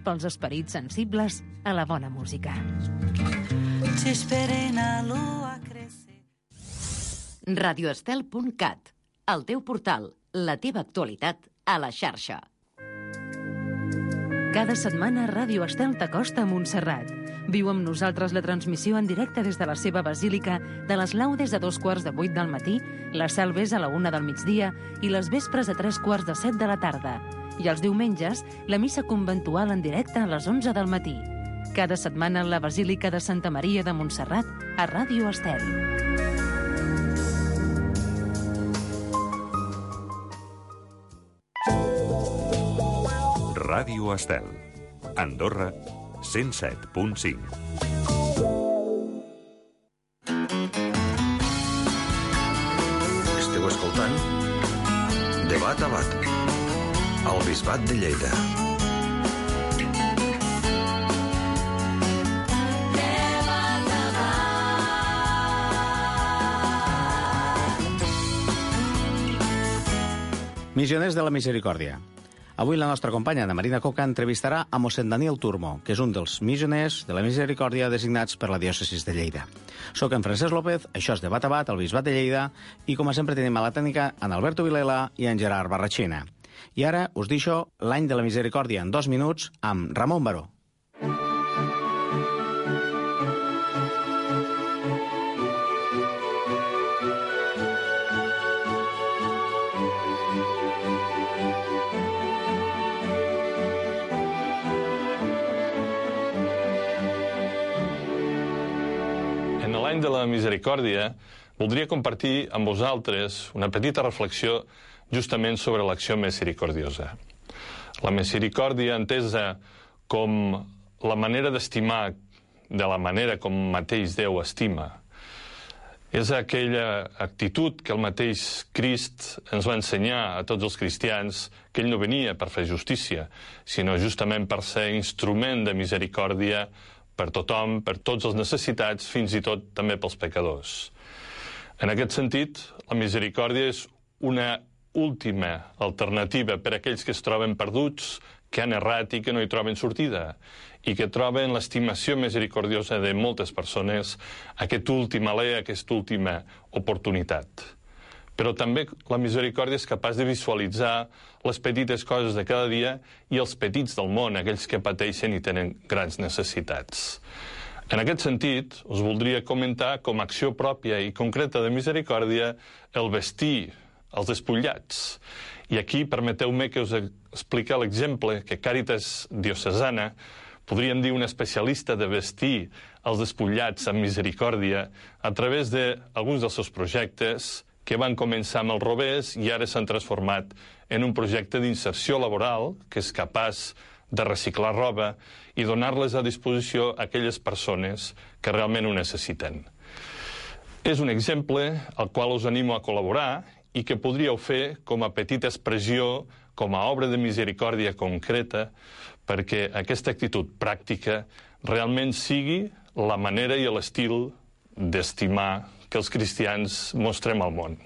pels esperits sensibles a la bona música. radioestel.cat, el teu portal, la teva actualitat a la xarxa. Cada setmana Ràdio Estel t'acosta a Montserrat. Viu amb nosaltres la transmissió en directe des de la seva basílica de les laudes a 7:45 del matí, les salves a la 1 del migdia i les vespres a 7:45 de la tarda. I els diumenges, la missa conventual en directe a les 11 del matí. Cada setmana la Basílica de Santa Maria de Montserrat a Ràdio Estel. Ràdio Estel. Andorra, 107.5. Esteu escoltant Debat a Bat, al Bisbat de Lleida. Missioners de la Misericòrdia. Avui la nostra companya Ana Marina Coca entrevistarà a mossèn Daniel Turmo, que és un dels missioners de la Misericòrdia designats per la diòcesis de Lleida. Soc en Francesc López, això és Debat a Bat, al Bisbat de Lleida, i com sempre tenim a la tècnica en Alberto Vilela i en Gerard Barrachina. I ara us deixo l'any de la Misericòrdia en 2 minuts amb Ramon Baró. En l'any de la Misericòrdia voldria compartir amb vosaltres una petita reflexió justament sobre l'acció misericordiosa. La misericòrdia entesa com la manera d'estimar de la manera com mateix Déu estima és aquella actitud que el mateix Crist ens va ensenyar a tots els cristians, que ell no venia per fer justícia, sinó justament per ser instrument de misericòrdia per tothom, per tots els necessitats, fins i tot també pels pecadors. En aquest sentit, la misericòrdia és una última alternativa per a aquells que es troben perduts, que han errat i que no hi troben sortida, i que troben l'estimació misericordiosa de moltes persones aquest últim alè, aquesta última oportunitat. Però també la misericòrdia és capaç de visualitzar les petites coses de cada dia i els petits del món, aquells que pateixen i tenen grans necessitats. En aquest sentit, us voldria comentar com a acció pròpia i concreta de misericòrdia el vestir els despullats. I aquí permeteu-me que us expliqui l'exemple que Càritas Diocesana, podríem dir una especialista de vestir els despullats amb misericòrdia, a través d'alguns dels seus projectes que van començar amb els rovers i ara s'han transformat en un projecte d'inserció laboral que és capaç de reciclar roba i donar-les a disposició a aquelles persones que realment ho necessiten. És un exemple al qual us animo a col·laborar i que podríeu fer com a petita expressió, com a obra de misericòrdia concreta, perquè aquesta actitud pràctica realment sigui la manera i l'estil d'estimar que els cristians mostrem al món.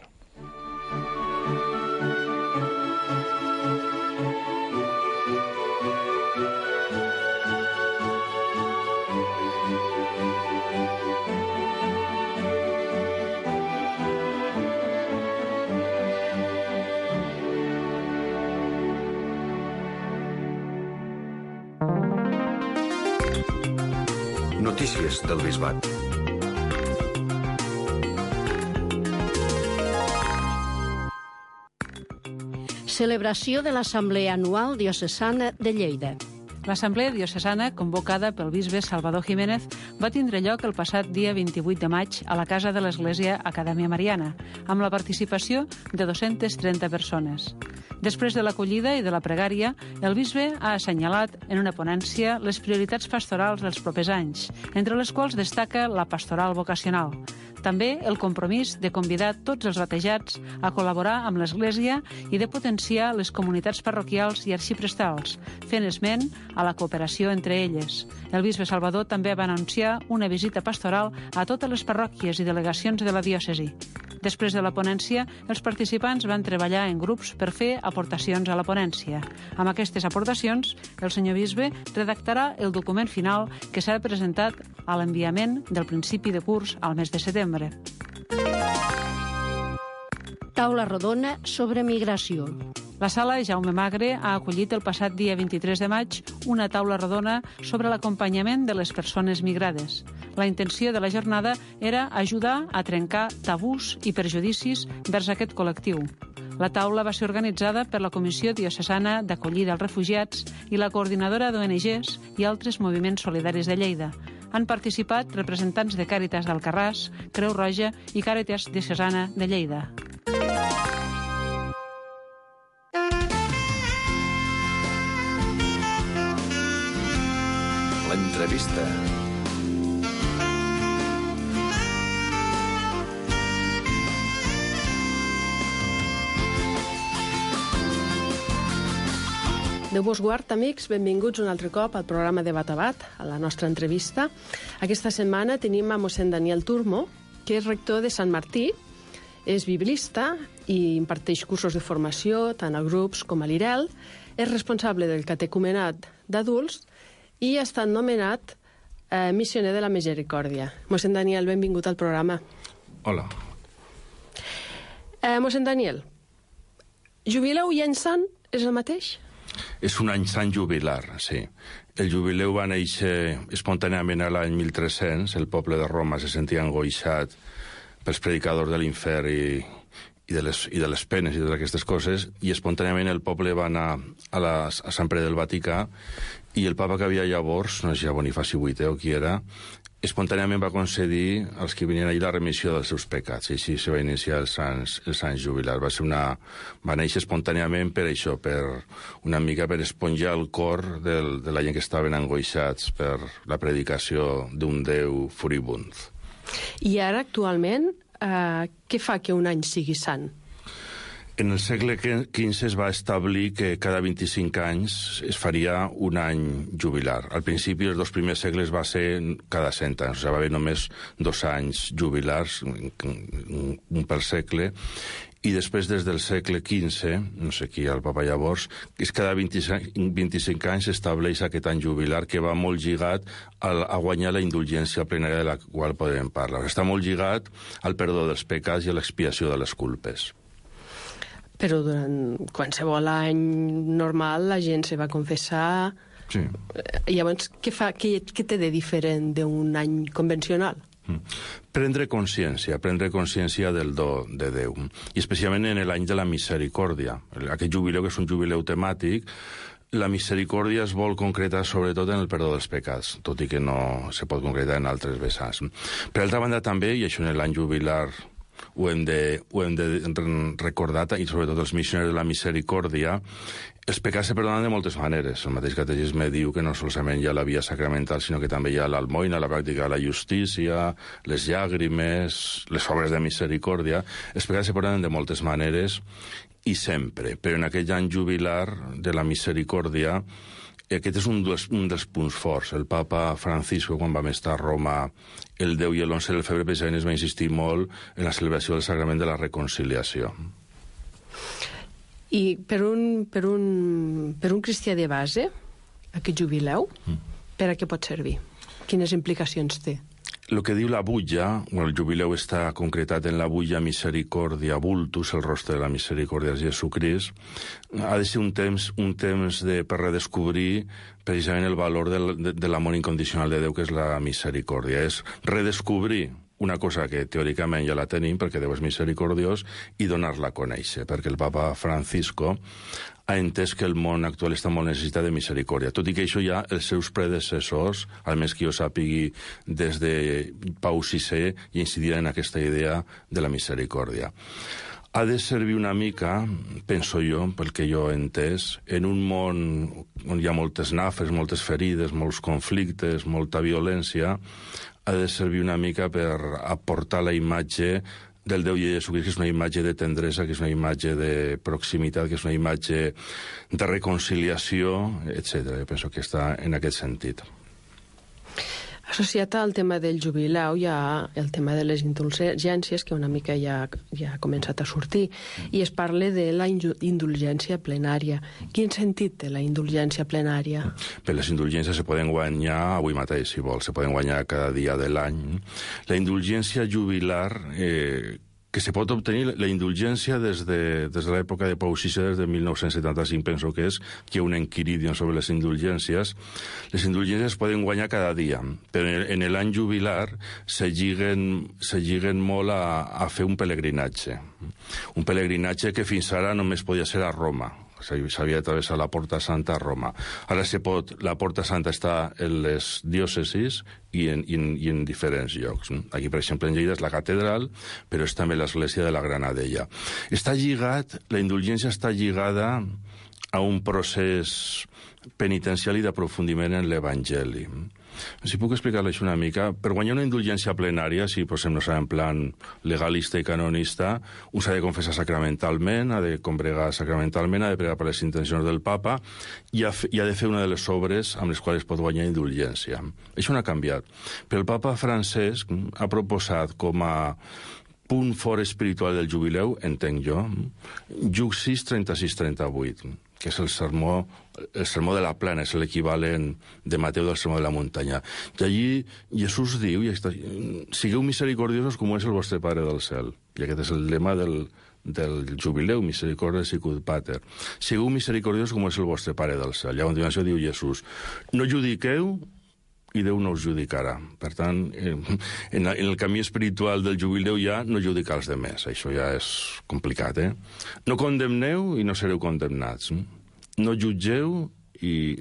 Notícies del Bisbat. Celebració de l'Assemblea Anual Diocesana de Lleida. L'Assemblea Diocesana, convocada pel bisbe Salvador Jiménez, va tindre lloc el passat dia 28 de maig a la Casa de l'Església Acadèmia Mariana, amb la participació de 230 persones. Després de l'acollida i de la pregària, el bisbe ha assenyalat en una ponència les prioritats pastorals dels propers anys, entre les quals destaca la pastoral vocacional. També el compromís de convidar tots els batejats a col·laborar amb l'Església i de potenciar les comunitats parroquials i arxiprestals, fent esment a la cooperació entre elles. El bisbe Salvador també va anunciar una visita pastoral a totes les parròquies i delegacions de la diòcesi. Després de la ponència, els participants van treballar en grups per fer aportacions a la ponència. Amb aquestes aportacions, el senyor bisbe redactarà el document final que serà presentat a l'enviament del principi de curs al mes de setembre. Taula rodona sobre migració. La sala Jaume Magre ha acollit el passat dia 23 de maig una taula rodona sobre l'acompanyament de les persones migrades. La intenció de la jornada era ajudar a trencar tabús i perjudicis vers aquest col·lectiu. La taula va ser organitzada per la Comissió Diocesana d'Acollida als Refugiats i la Coordinadora d'ONGs i altres moviments solidaris de Lleida. Han participat representants de Càritas d'Alcarràs, Creu Roja i Càritas Diocesana de Lleida. L'entrevista. Déu vos guard, amics, benvinguts un altre cop al programa Debat a Bat, a la nostra entrevista. Aquesta setmana tenim a mossèn Daniel Turmo, que és rector de Sant Martí, és biblista i imparteix cursos de formació tant a grups com a l'IREL, és responsable del catecumenat d'adults i ha estat nomenat missioner de la Misericòrdia. Mossèn Daniel, benvingut al programa. Hola. Mossèn Daniel, jubileu i any sant és el mateix? És un any sant jubilar, sí. El jubileu va néixer espontàniament a l'any 1300. El poble de Roma se sentia angoixat pels predicadors de l'infern i de les penes i de aquestes coses, i espontàniament el poble va anar a Sant Pere del Vaticà, i el papa que havia llavors, no sé si Bonifaci VIII o qui era, espontàniament va concedir als que venien allà la remissió dels seus pecats, i així se va iniciar el Sant Jubilar. Va néixer espontàniament per això, una mica per esponjar el cor de la gent que estaven angoixats per la predicació d'un Déu furibund. I ara, actualment, què fa que un any sigui sant? En el segle XV es va establir que cada 25 anys es faria un any jubilar. Al principi, els 2 primers segles va ser cada 100 anys, o sigui, va haver només 2 anys jubilars, un per segle, i després, des del segle XV, no sé qui el papa llavors, cada 25 anys s'estableix aquest any jubilar, que va molt lligat a guanyar la indulgència plenària de la qual podem parlar. Està molt lligat al perdó dels pecats i a l'expiació de les culpes. Però durant qualsevol any normal la gent se va confessar. Sí. Llavors, què té de diferent d'un any convencional? Prendre consciència del do de Déu, i especialment en l'any de la misericòrdia. Aquest jubileu, que és un jubileu temàtic, la misericòrdia es vol concretar sobretot en el perdó dels pecats, tot i que no se pot concretar en altres vessants. Per altra banda també, i això en l'any jubilar ho hem de recordar, i sobretot els missionaris de la misericòrdia, els pecats se perdonen de moltes maneres. El mateix catecisme diu que no solament hi ha la via sacramental, sinó que també hi ha l'almoina, la pràctica de la justícia, les llàgrimes, les obres de misericòrdia. Els pecats se perdonen de moltes maneres i sempre, però en aquell any jubilar de la misericòrdia, aquest és un dels punts forts. El papa Francisco, quan vam estar a Roma el 10 i l'11 de febrer, precisament es va insistir molt en la celebració del Sagrament de la Reconciliació. I per un cristià de base, aquest jubileu, per a què pot servir? Quines implicacions té? El que diu la butlla, el jubileu està concretat en la butlla Misericòrdia Vultus, el rostre de la misericòrdia de Jesucrist, ha de ser un temps per redescobrir precisament el valor de l'amor incondicional de Déu, que és la misericòrdia. És redescobrir una cosa que teòricament ja la tenim, perquè Déu és misericordiós, i donar-la a conèixer, perquè el papa Francisco ha entès que el món actual està molt necessitat de misericòrdia, tot i que això ja els seus predecessors, almenys que jo sàpigui des de Pau VI, ja incidien en aquesta idea de la misericòrdia. Ha de servir una mica, penso jo, pel que jo he entès, en un món on hi ha moltes nafes, moltes ferides, molts conflictes, molta violència, ha de servir una mica per aportar la imatge del Déu de Jesucrist, que és una imatge de tendresa, que és una imatge de proximitat, que és una imatge de reconciliació, etc. Jo penso que està en aquest sentit. Associat al tema del jubilau hi ha el tema de les indulgències, que una mica ja ha començat a sortir, i es parla de la indulgència plenària. Quin sentit té la indulgència plenària? Bé, les indulgències se poden guanyar avui mateix, si vols, se poden guanyar cada dia de l'any. La indulgència jubilar, que se pot obtenir la indulgència des de l'època de Pau VI, des de 1975, penso que és, que hi ha un enquiridion sobre les indulgències. Les indulgències es poden guanyar cada dia, però en l'any jubilar se lliguen molt a fer un pelegrinatge. Un pelegrinatge que fins ara només podia ser a Roma. S'havia de travessar la Porta Santa a Roma. Ara la Porta Santa està en les diòcesis i en diferents llocs. Aquí, per exemple, en Lleida és la catedral, però és també l'església de la Granadella. La indulgència està lligada a un procés penitencial i d'aprofundiment en l'Evangeli. Si puc explicar-lo això una mica, per guanyar una indulgència plenària, si posem, no sé, en plan legalista i canonista, un s'ha de confessar sacramentalment, ha de combregar sacramentalment, ha de pregar per les intencions del papa i ha de fer una de les obres amb les quals pot guanyar indulgència. Això no ha canviat. Però el papa Francesc ha proposat com a punt fort espiritual del jubileu, entenc jo, Lluc 6, 36-38, que és el sermó de la plana, és l'equivalent de Mateu del sermó de la muntanya. I allí Jesús diu, sigueu misericordiosos com és el vostre Pare del cel. I aquest és el lema del jubileu, misericordia sicut pater. Sigueu misericordiosos com és el vostre Pare del cel. I a continuació diu Jesús, no judiqueu i Déu no us judicarà. Per tant, en el camí espiritual del jubileu ja no judicar els demés. Això ja és complicat, No condemneu i no sereu condemnats. No jutgeu i...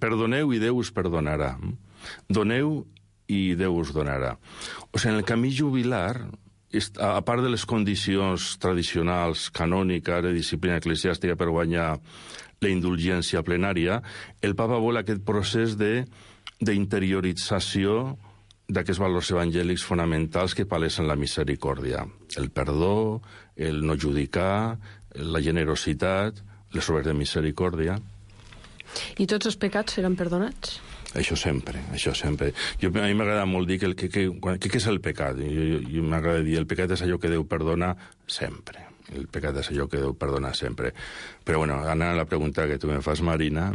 perdoneu i Déu us perdonarà. Doneu i Déu us donarà. O sigui, en el camí jubilar, a part de les condicions tradicionals, canòniques, de disciplina eclesiàstica per guanyar la indulgència plenària, el papa vol aquest procés d'interiorització d'aquests valors evangèlics fonamentals que palesen la misericòrdia. El perdó, el no judicar, la generositat, les obres de misericòrdia. I tots els pecats seran perdonats? Això sempre, això sempre. A mi m'agrada molt dir què és el pecat. Jo m'agrada dir, el pecat és allò que Déu perdona sempre. El pecat és allò que Déu perdona sempre. Però, bueno, anant a la pregunta que tu me fas, Marina,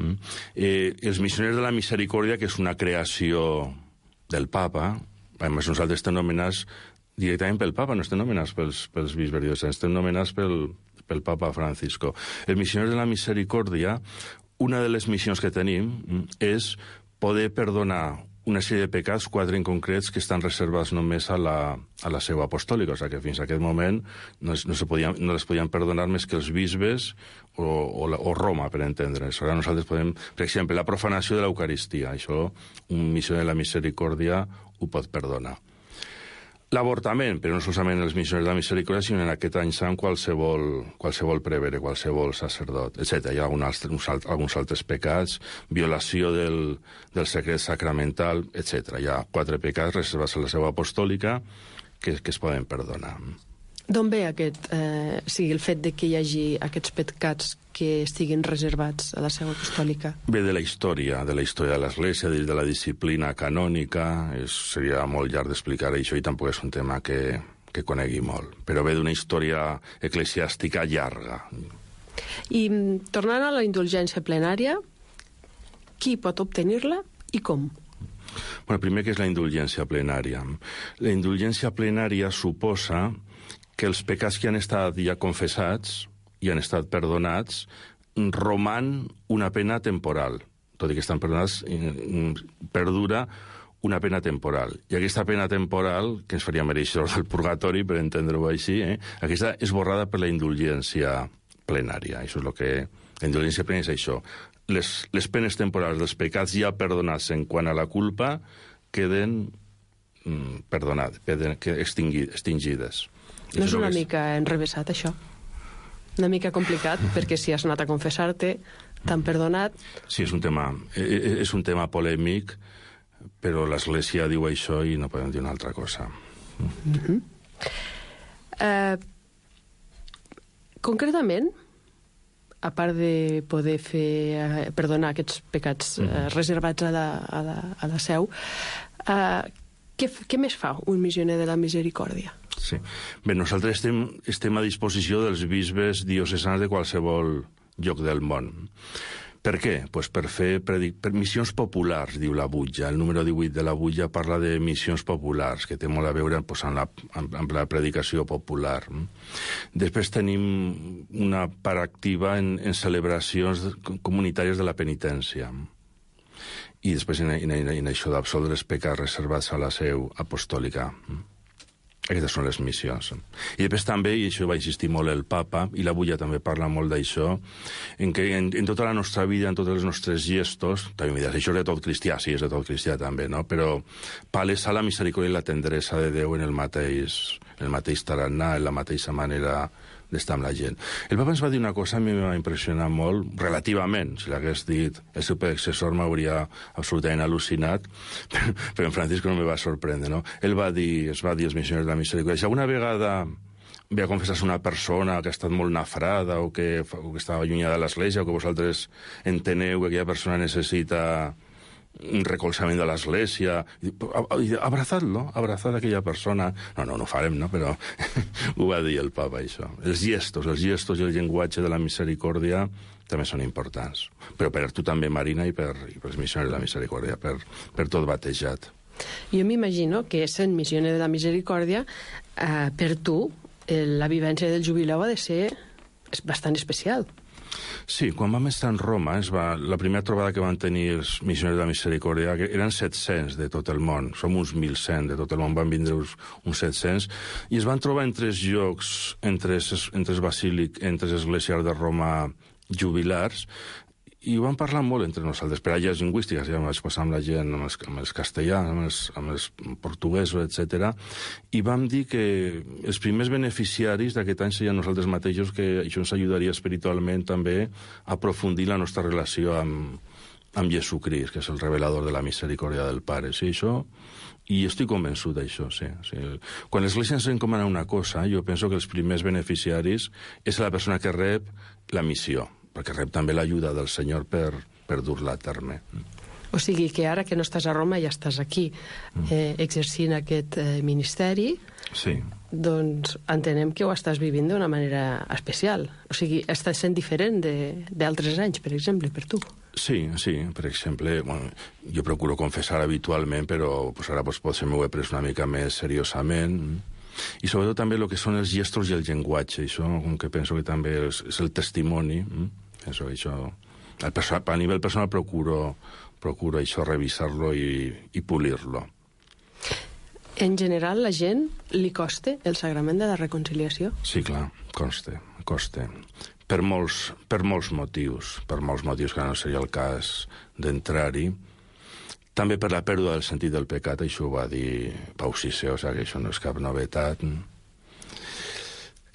els missioners de la misericòrdia, que és una creació del papa, a més nosaltres estem nomenats directament pel papa, no estem nomenats pels bisbes diocesans, estem nomenats pel papa Francisco. Els missioners de la misericòrdia, una de les missions que tenim és poder perdonar una sèrie de pecats, 4 en concrets, que estan reservats només a la seu apostòlica. O sigui que fins a aquest moment no les podien perdonar més que els bisbes o Roma, per entendre's. Ara nosaltres podem... Per exemple, la profanació de l'Eucaristia. Això, un missioner de la misericòrdia ho pot perdonar. L'avortament, però no solament els missioners de la misericòrdia, sinó en aquest any sant qualsevol prevere, qualsevol sacerdot, etc. Hi ha alguns altres pecats, violació del secret sacramental, etc. Hi ha 4 pecats reservats a la seu apostòlica que es poden perdonar. D'on ve el fet de que hi hagi aquests pecats que estiguin reservats a la seu apostòlica? Ve de la història de l'Església, de la disciplina canònica. Seria molt llarg d'explicar això i tampoc és un tema que conegui molt. Però ve d'una història eclesiàstica llarga. I tornant a la indulgència plenària, qui pot obtenir-la i com? Bueno, primer, què és la indulgència plenària? La indulgència plenària suposa que els pecats que han estat ja confessats i han estat perdonats roman una pena temporal. Tot i que estan perdonats, perdura una pena temporal. I aquesta pena temporal, que ens faria mereixedors del purgatori, per entendre-ho així, aquesta és borrada per la indulgència plenària. Això és el que... La indulgència plenària és això. Les penes temporals dels pecats ja perdonats en quant a la culpa queden perdonades, extingides. No és una mica enrevessat, això? Una mica complicat, perquè si has anat a confessar-te, t'han perdonat... Sí, és un tema polèmic, però l'Església diu això i no podem dir una altra cosa. Concretament, a part de poder perdonar aquests pecats reservats a la seu, què més fa un missioner de la misericòrdia? Sí. Bé, nosaltres estem a disposició dels bisbes diocesans de qualsevol lloc del món. Per què? Pues per fer missions populars, diu la butlla. El número 18 de la butlla parla de missions populars, que té molt a veure amb la predicació popular. Després tenim una part activa en celebracions comunitàries de la penitència. I després en això d'absoldre els pecats reservats a la seu apostòlica. Aquestes són les missions. I després també, i això va insistir molt el papa, i la butlla també parla molt d'això, en què en tota la nostra vida, en tots els nostres gestos, també m'hi diràs, això és de tot cristià, sí, és de tot cristià també, no? Però palesa la misericòrdia i la tendresa de Déu en el mateix tarannà, en la mateixa manera d'estar amb la gent. El papa ens va dir una cosa, a mi m'ha impressionat molt, relativament, si l'hagués dit el seu predecessor m'hauria absolutament al·lucinat, però en Francisco no me va sorprendre, no? Es va dir als missioners de la misericòrdia, si alguna vegada ve a confessar-se una persona que ha estat molt nafrada o que estava allunyada de l'església o que vosaltres enteneu que aquella persona necessita un recolzament de l'església, abrazad-lo, abrazad aquella persona. No ho farem, no? Però ho va dir el papa, això. Els gestos i el llenguatge de la misericòrdia també són importants. Però per tu també, Marina, i per els missioners de la misericòrdia, per tot batejat. Jo m'imagino que sent missioner de la misericòrdia, per tu, la vivència del jubileu ha de ser bastant especial. Sí, quan vam estar en Roma, la primera trobada que van tenir els missioners de la misericòrdia, que eren 700 de tot el món, som uns 1.100 de tot el món, van vindre uns 700, i es van trobar en 3 llocs, en tres esglésies de Roma jubilars, i ho vam parlar molt entre nosaltres, per allà lingüístiques, ja vaig passar amb la gent, amb els castellans, amb els portuguesos, etc. I vam dir que els primers beneficiaris d'aquest any serien nosaltres mateixos, que això ens ajudaria espiritualment també a aprofundir la nostra relació amb Jesucrist, que és el revelador de la misericòrdia del Pare. Sí, això... I estic convençut d'això, sí. Quan l'Església ens encomana una cosa, jo penso que els primers beneficiaris és la persona que rep la missió, perquè rep també l'ajuda del Senyor per dur-la a terme. O sigui que ara que no estàs a Roma ja estàs aquí exercint aquest ministeri, sí. Doncs entenem que ho estàs vivint d'una manera especial. O sigui, estàs sent diferent d'altres anys, per exemple, per tu. Sí, per exemple, jo procuro confessar habitualment, però ara potser m'ho he pres una mica més seriosament. I sobretot també el que són els gestos i el llenguatge, això, que penso que també és el testimoni. Això, a nivell personal procuro això revisar-lo i polir-lo. En general, la gent li costa el sagrament de la reconciliació? Sí, clar, costa. Per molts motius, que no seria el cas d'entrar-hi. També per la pèrdua del sentit del pecat, això ho va dir Pau VI, o sigui que això no és cap novetat.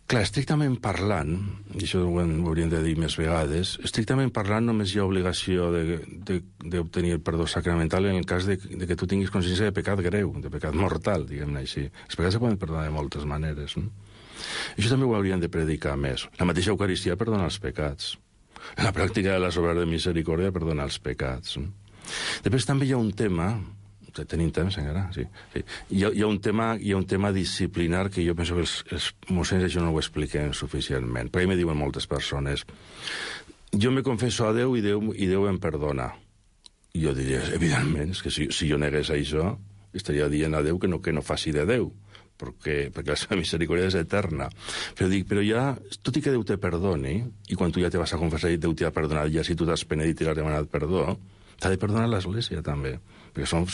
Clar, estrictament parlant, i això ho hauríem de dir més vegades, estrictament parlant només hi ha obligació d'obtenir el perdó sacramental en el cas de que tu tinguis consciència de pecat greu, de pecat mortal, diguem-ne així. Els pecats se poden perdonar de moltes maneres, no? Això també ho hauríem de predicar més. La mateixa Eucaristia perdona els pecats. La pràctica de les obres de misericòrdia perdona els pecats. Després també hi ha un tema... Tenim temps encara? Sí. Hi ha un tema disciplinar que jo penso que els mossens això no ho expliquen suficientment. Perquè me diuen moltes persones, jo me confesso a Déu i Déu em perdona. I jo diria, evidentment, és que si jo negués això, estaria dient a Déu que no faci de Déu, perquè la seva misericòrdia és eterna. Però ja, tot i que Déu te perdoni, i quan tu ja te vas a confessar i Déu t'ha perdonat, ja si tu t'has penedit i l'has demanat perdó, t'ha de perdonar l'Església també, perquè som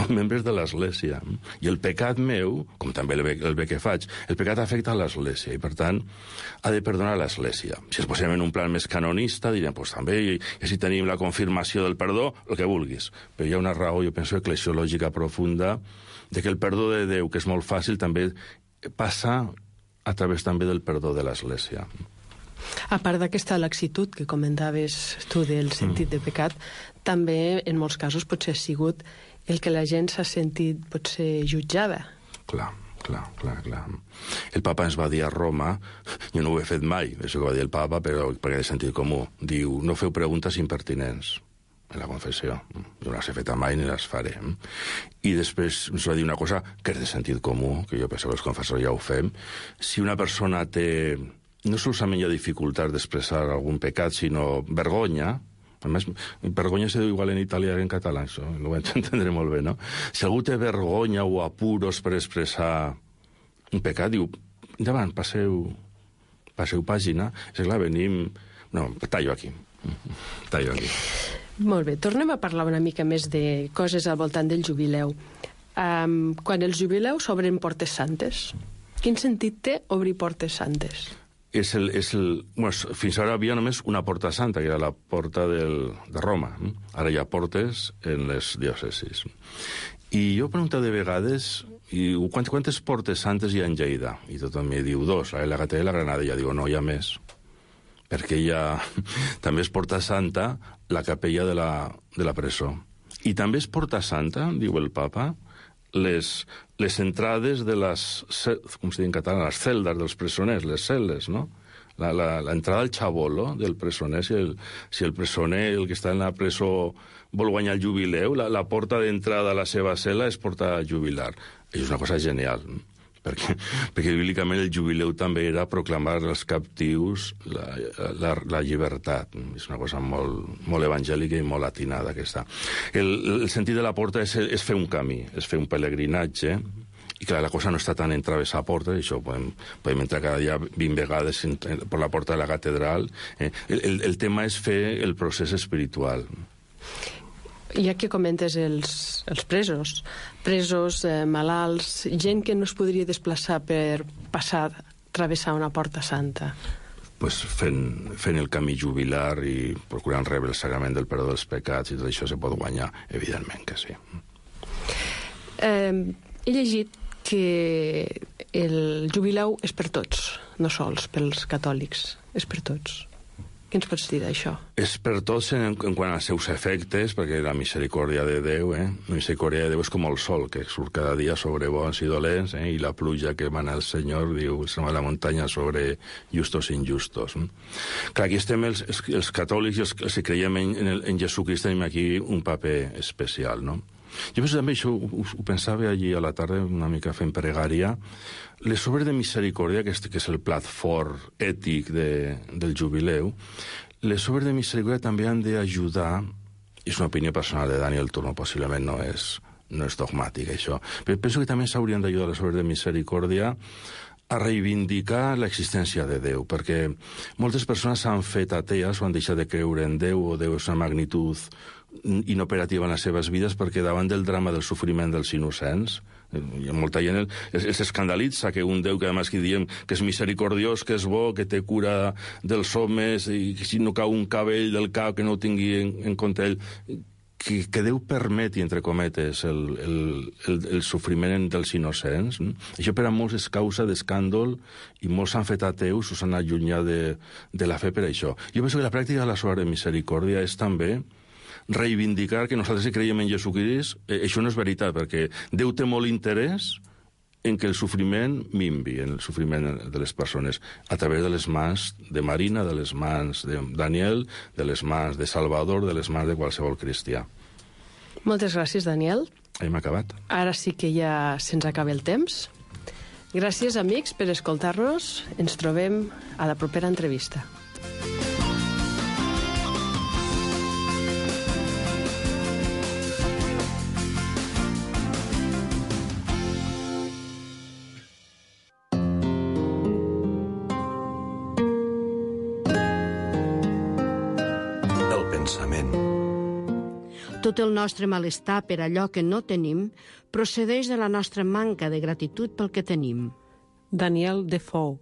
membres de l'Església. I el pecat meu, com també el bé que faig, el pecat afecta a l'Església i, per tant, ha de perdonar l'Església. Si es posem en un plan més canonista, direm, doncs també, i si tenim la confirmació del perdó, el que vulguis. Però hi ha una raó, jo penso, eclesiològica profunda, de que el perdó de Déu, que és molt fàcil, també passa a través també del perdó de l'Església. A part d'aquesta laxitud que comentaves tu del sentit de pecat, també en molts casos potser ha sigut el que la gent s'ha sentit potser jutjada. Clar, Clar. El papa ens va dir a Roma, jo no ho he fet mai, això que va dir el papa, però perquè de sentit comú. Diu, no feu preguntes impertinents en la confessió. Jo no les he fet mai ni les faré. I després ens va dir una cosa que és de sentit comú, que jo penso que els confessors ja ho fem. Si una persona té, no solament hi ha dificultat d'expressar algun pecat, sinó vergonya, a més, vergonya se diu igual en italià que en català, això ho vaig entendre molt bé, no? Si algú té vergonya o apuros per expressar un pecat, diu, endavant, passeu pàgina. És clar, venim... No, tallo aquí. Molt bé, tornem a parlar una mica més de coses al voltant del jubileu. Quan els jubileus obren portes santes, quin sentit té obrir portes santes? Bueno, fins ara havia només una porta santa, que era la porta de Roma. Ara hi ha portes en les diòcesis. I jo pregunto de vegades, quantes portes santes hi ha en Lleida? I tothom mi diu 2, la Gatell i la Granada. I jo digo, no, hi ha més. Perquè hi ha... també és porta santa la capella de la presó. I també és porta santa, diu el papa, les entrades de les, com se diu en català, les celdes dels presoners, les cel·les, no? L'entrada al xabolo del presoner, si el presoner, el que està en la presó, vol guanyar el jubileu, la porta d'entrada a la seva cel·la és porta jubilar. Això és una cosa genial, perquè bíblicament el jubileu també era proclamar als captius la llibertat. És una cosa molt evangèlica i molt atinada aquesta. El sentit de la porta és fer un camí, és fer un pelegrinatge, i clar, la cosa no està tant en travessar portes, això podem entrar cada dia 20 vegades per la porta de la catedral. El tema és fer el procés espiritual. Ja que comentes els presos, malalts, gent que no es podria desplaçar per travessar una porta santa. Pues fent el camí jubilar i procurant rebre el sagrament del perdó dels pecats i tot això se pot guanyar, evidentment que sí. He llegit que el jubileu és per tots, no sols pels catòlics, és per tots. Què ens pots dir d'això? És per tots en quant als seus efectes, perquè la misericòrdia de Déu, la misericòrdia de Déu és com el sol, que surt cada dia sobre bons i dolents, i la pluja que emana el Senyor, diu, a la muntanya sobre justos i injustos. Clar, aquí estem els catòlics i els que creiem en Jesucrist, tenim aquí un paper especial, no? Jo penso també, això ho pensava allí a la tarda, una mica fent pregària, les obres de misericòrdia, que és el plat fort ètic del jubileu, les obres de misericòrdia també han d'ajudar, és una opinió personal de Daniel Turmo, possiblement no és dogmàtic, això, però penso que també s'haurien d'ajudar les obres de misericòrdia a reivindicar l'existència de Déu, perquè moltes persones s'han fet atees o han deixat de creure en Déu, o Déu és una magnitud inoperativa en les seves vides, perquè davant del drama del sofriment dels innocents, hi ha molta gent els escandalitza que un Déu que además que diem que és misericordiós, que és bo, que té cura dels homes, i que si no cau un cabell del cap que no ho tingui en compte ell, que Déu permeti, entre cometes, el sofriment dels innocents. Això per a molts és causa d'escàndol i molts s'han fet ateus o s'han allunyat de la fe per això. Jo penso que la pràctica de la obra de misericòrdia és també reivindicar que nosaltres creiem en Jesucrist. Això no és veritat, perquè Déu té molt interès en que el sofriment minvi, en el sofriment de les persones, a través de les mans de Marina, de les mans de Daniel, de les mans de Salvador, de les mans de qualsevol cristià. Moltes gràcies, Daniel. Hem acabat. Ara sí que ja se'ns acaba el temps. Gràcies, amics, per escoltar-nos. Ens trobem a la propera entrevista. Tot el nostre malestar per allò que no tenim procedeix de la nostra manca de gratitud pel que tenim. Daniel Defoe.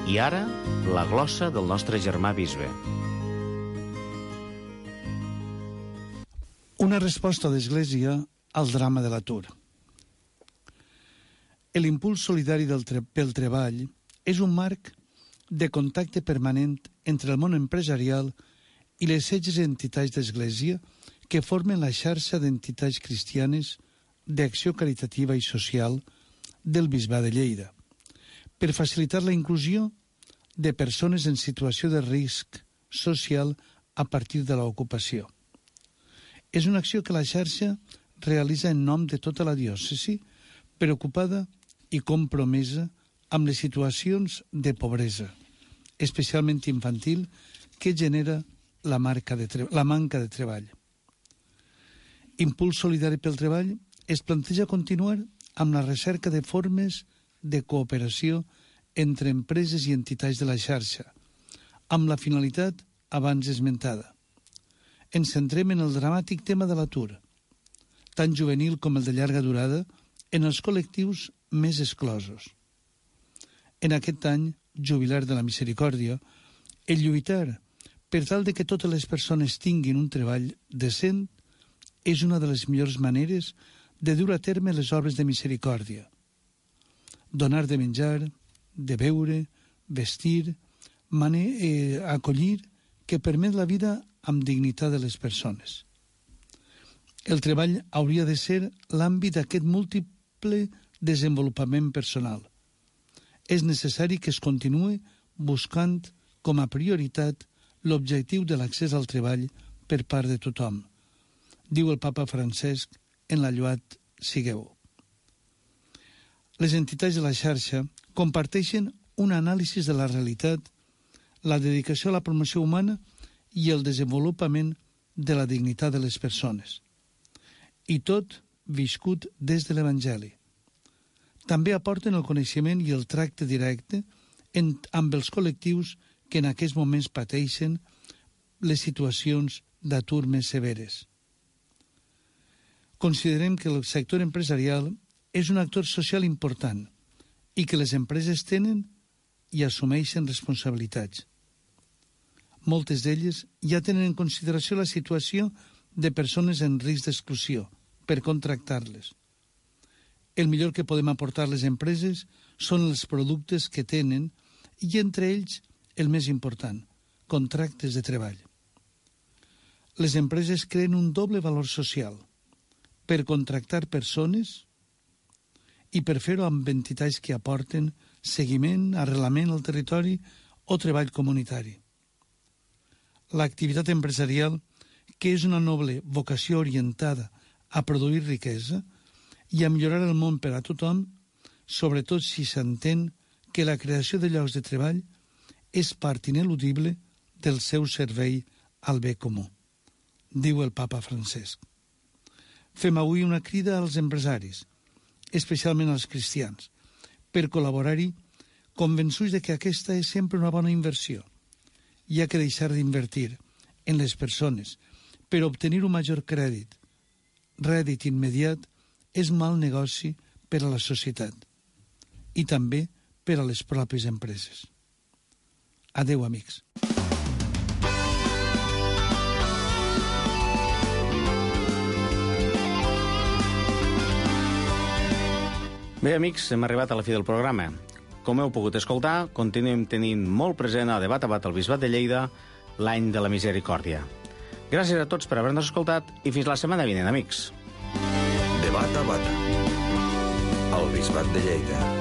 I ara, la glossa del nostre germà bisbe. Una resposta d'Església al drama de l'atur. L'impuls solidari pel treball és un marc de contacte permanent entre el món empresarial i les 16 entitats d'Església que formen la xarxa d'entitats cristianes d'acció caritativa i social del Bisbat de Lleida, per facilitar la inclusió de persones en situació de risc social a partir de l'ocupació. És una acció que la xarxa realitza en nom de tota la diòcesi, preocupada i compromesa amb les situacions de pobresa, especialment infantil, que genera la manca de treball. Impuls Solidari pel Treball es planteja continuar amb la recerca de formes de cooperació entre empreses i entitats de la xarxa, amb la finalitat abans esmentada. Ens centrem en el dramàtic tema de l'atur, tant juvenil com el de llarga durada, en els col·lectius més exclosos. En aquest any jubilar de la Misericòrdia, el lluitar per tal de que totes les persones tinguin un treball decent és una de les millors maneres de dur a terme les obres de misericòrdia. Donar de menjar, de beure, vestir, acollir, que permet la vida amb dignitat de les persones. El treball hauria de ser l'àmbit d'aquest múltiple desenvolupament personal. És necessari que es continuï buscant com a prioritat l'objectiu de l'accés al treball per part de tothom, diu el papa Francesc en la Laudato Sigueu. Les entitats de la xarxa comparteixen un anàlisi de la realitat, la dedicació a la promoció humana i el desenvolupament de la dignitat de les persones. I tot viscut des de l'Evangeli. També aporten el coneixement i el tracte directe amb els col·lectius que en aquests moments pateixen les situacions d'atur més severes. Considerem que el sector empresarial és un actor social important i que les empreses tenen i assumeixen responsabilitats. Moltes d'elles ja tenen en consideració la situació de persones en risc d'exclusió per contractar-les. El millor que podem aportar les empreses són els productes que tenen i entre ells el més important, contractes de treball. Les empreses creen un doble valor social per contractar persones i per fer-ho amb entitats que aporten seguiment, arrelament al territori o treball comunitari. L'activitat empresarial, que és una noble vocació orientada a produir riquesa i a millorar el món per a tothom, sobretot si s'entén que la creació de llocs de treball és part ineludible del seu servei al bé comú, diu el papa Francesc. Fem avui una crida als empresaris, especialment als cristians, per col·laborar-hi, convençuts de que aquesta és sempre una bona inversió. Hi ha que deixar d'invertir en les persones per obtenir un major crèdit. Rèdit immediat és mal negoci per a la societat i també per a les pròpies empreses. Adéu, amics. Bé, amics, hem arribat a la fi del programa. Com heu pogut escoltar, continuem tenint molt present a Debat a Bat al Bisbat de Lleida l'any de la Misericòrdia. Gràcies a tots per haver-nos escoltat i fins la setmana vinent, amics. Debat a Bat al Bisbat de Lleida.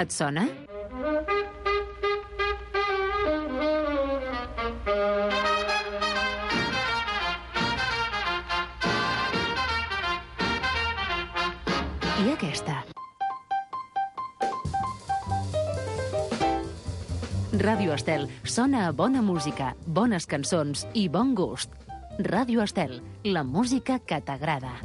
Et sona? I aquesta? Ràdio Estel sona a bona música, bones cançons i bon gust. Ràdio Estel, la música que t'agrada.